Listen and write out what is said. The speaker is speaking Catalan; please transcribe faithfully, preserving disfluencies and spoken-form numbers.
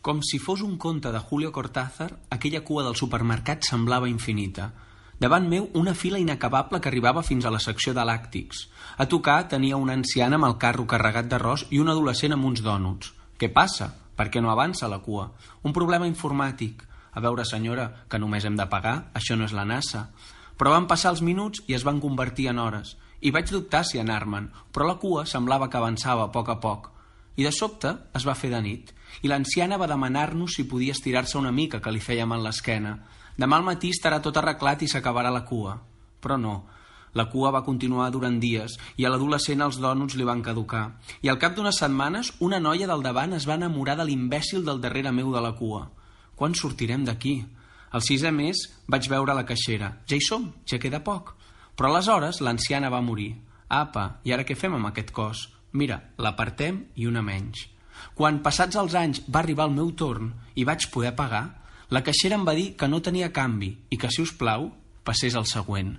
Com si fos un conte de Julio Cortázar, aquella cua del supermercat semblava infinita. Davant meu, una fila inacabable que arribava fins a la secció de làctics. A tocar tenia una anciana amb el carro carregat d'arròs i un adolescent amb uns dònuts. Què passa? Per què no avança la cua? Un problema informàtic. A veure, senyora, que només hem de pagar, això no és la NASA. Però van passar els minuts i es van convertir en hores. I vaig dubtar si anar-me'n, però la cua semblava que avançava a poc a poc. I de sobte es va fer de nit, i l'anciana va demanar-nos si podia estirar-se una mica, que li fèiem en l'esquena. Demà al matí estarà tot arreglat i s'acabarà la cua. Però no. La cua va continuar durant dies i a l'adolescent els dònuts li van caducar. I al cap d'unes setmanes, una noia del davant es va enamorar de l'imbècil del darrere meu de la cua. Quan sortirem d'aquí? Al sisè mes vaig veure la caixera. Ja hi som, ja queda poc. Però aleshores l'anciana va morir. Apa, i ara què fem amb aquest cos? Mira, l'apartem i una menys. Quan, passats els anys, va arribar el meu torn i vaig poder pagar, la caixera em va dir que no tenia canvi i que, si us plau, passés al següent.